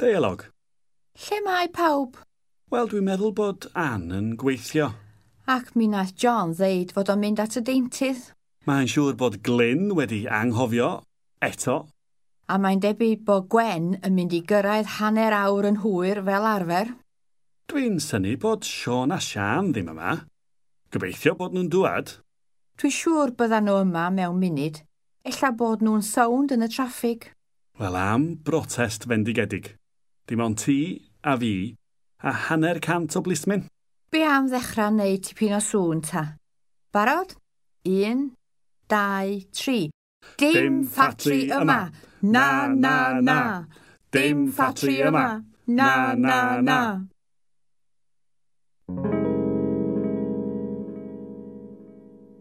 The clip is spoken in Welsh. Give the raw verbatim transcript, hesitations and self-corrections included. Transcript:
Deialog. Lle mae pawb? Wel, dwi'n meddwl bod Ann yn gweithio. Ac mi nath John ddeud fod o'n mynd at y deintydd. Mae'n siŵr bod Glyn wedi anghofio eto. A mae'n debyg bod Gwen yn mynd i gyrraedd hanner awr yn hwyr fel arfer. Dwi'n synnu bod Siôn a Sian ddim yma. Gobeithio bod nhw'n dŵad. Dwi'n siŵr byddan nhw yma mewn munud. Ella bod nhw'n sownd yn y traffig. Wel, am brotest fendigedig. Dim ond ti a fi a hanner cant o blismyn. Be am ddechrau neud tipyn o sŵn ta? Barod? Un, dau, tri. Dim ffatri yma! Na, na, na! Dim ffatri yma! Na, na, na!